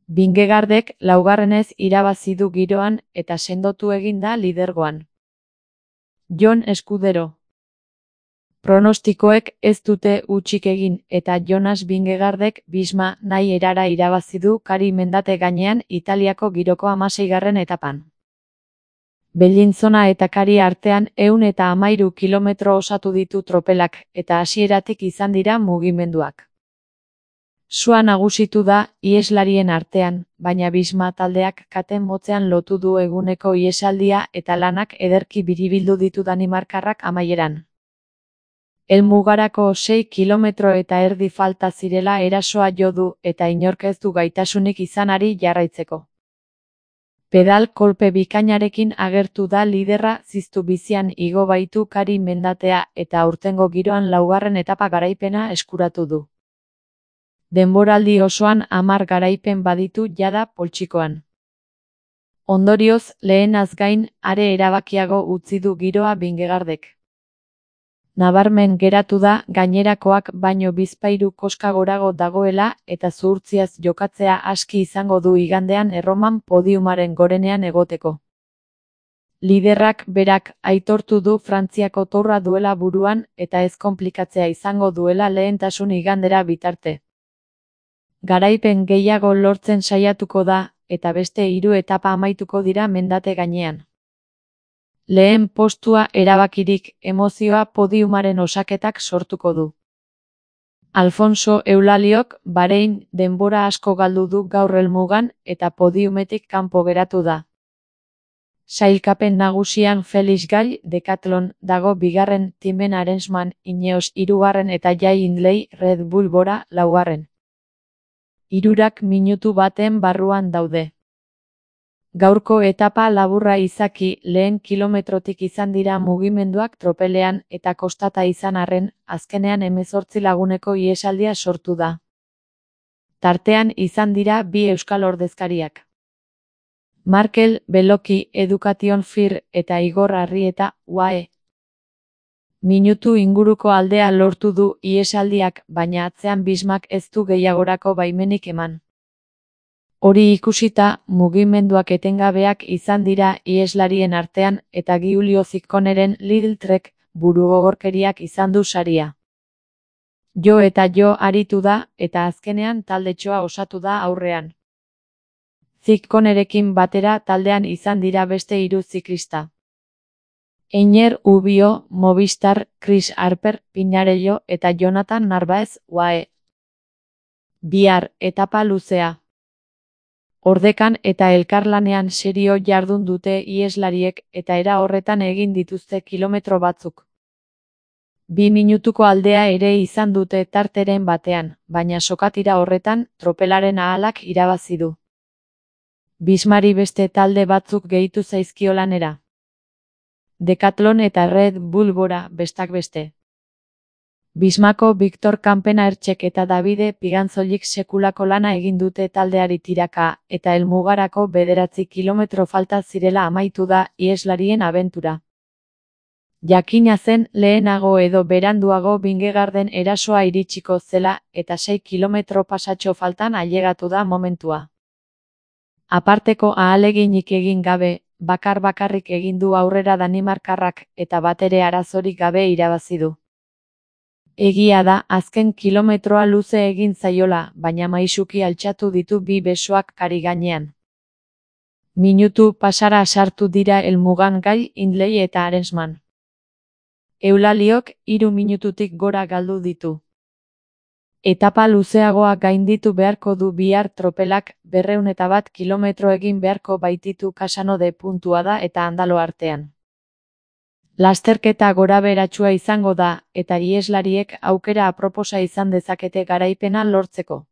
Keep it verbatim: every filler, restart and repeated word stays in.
Vingegaardek laugarrenez irabazi du giroan eta sendotu egin da lidergoan. Jon Escudero. Pronostikoek ez dute hutsik egin eta Jonas Vingegaardek Visma nahi erara irabazi du kari mendate gainean Italiako giroko hamaseigarren etapan. Bellinzona eta kari artean ehun eta hamairu kilometro osatu ditu tropelak eta hasieratik izan dira mugimenduak. Sua nagusitu da iheslarien artean, baina Visma taldeak kate motzean lotu du eguneko ihesaldia eta lanak ederki biribildu ditu danimarkarrak amaieran. Helmugarako sei kilometro eta erdi falta zirela erasoa jo du eta inork ez du gaitasunik izanari jarraitzeko. Pedal kolpe bikainarekin agertu da liderra ziztu bizian igo baitu kari mendatea eta aurtengo giroan laugarren etapa garaipena eskuratu du. Denboraldi osoan hamar garaipen baditu jada poltsikoan. Ondorioz, lehenaz gain, are erabakiago utzi du giroa Vingegaardek. Nabarmen geratu da gainerakoak baino bizpahiru koska gorago dagoela eta zuhurtziaz jokatzea aski izango du igandean Erroman podiumaren gorenean egoteko. Liderrak berak aitortu du Frantziako tourra duela buruan eta ez konplikatzea izango duela lehentasun igandera bitarte. Garaipen gehiago lortzen saiatuko da eta beste hiru etapa amaituko dira mendate gainean. Lehen postua erabakirik emozioa podiumaren osaketak sortuko du. Alfonso Eulaliok Bahrein denbora asko galdu du gaur helmugan eta podiumetik kanpo geratu da. Sailkapen nagusian Felix Gall Decathlon dago bigarren, Timen Arensman Ineos hirugarren eta Jay Hindley Red Bull Bora laugarren. Hirurak minutu baten barruan daude. Gaurko etapa laburra izaki lehen kilometrotik izan dira mugimenduak tropelean eta kostata izan arren, azkenean hemezortzi laguneko ihesaldia sortu da. Tartean izan dira bi euskal ordezkariak. Markel Beloki Education Fir eta Igor Arrieta U A E. Minutu inguruko aldea lortu du ihesaldiak, baina atzean Vismak ez du gehiagorako baimenik eman. Hori ikusita, mugimenduak etengabeak izan dira iheslarien artean eta Giulio Cicconiren Lidl Trek burugogorkeriak izan du saria. Jo eta jo aritu da eta azkenean taldetxoa osatu da aurrean. Cicconirekin batera taldean izan dira beste hiru ziklista. Einer Ubio, Movistar, Chris Harper, Pinarello eta Jonathan Narvaez U A E. Bihar etapa luzea. Ordekan eta elkarlanean serio jardun dute iheslariek eta era horretan egin dituzte kilometro batzuk. Bi minutuko aldea ere izan dute tarteren batean, baina sokatira horretan tropelaren ahalak irabazi du. Vismari beste talde batzuk gehitu zaizkio lanera. Decathlon eta Red Bull Bora bestak beste. Vismako Victor Kampenaertxek eta Davide Pigantzolik sekulako lana egin dute taldeari tiraka eta helmugarako bederatzi kilometro falta zirela amaitu da iheslarien abentura. Jakina zen lehenago edo beranduago Vingegaarden erasoa iritsiko zela eta sei kilometro pasatxo faltan ailegatu da momentua. Aparteko ahaleginik egin gabe, bakar bakarrik egin du aurrera danimarkarrak eta batere arazorik gabe irabazi du. Egia da, azken kilometroa luze egin zaiola, baina maisuki altxatu ditu bi besoak kari gainean. Minutu pasara sartu dira helmugan Gall, Hindley eta Arensman. Eulaliok hiru minututik gora galdu ditu. Etapa luzeagoa gainditu beharko du bihar tropelak, berrehun eta bat kilometro egin beharko baititu Casanode puntua da eta Andalo artean. Lasterketa gorabeheratsua izango da, eta iheslariek aukera aproposa izan dezakete garaipena lortzeko.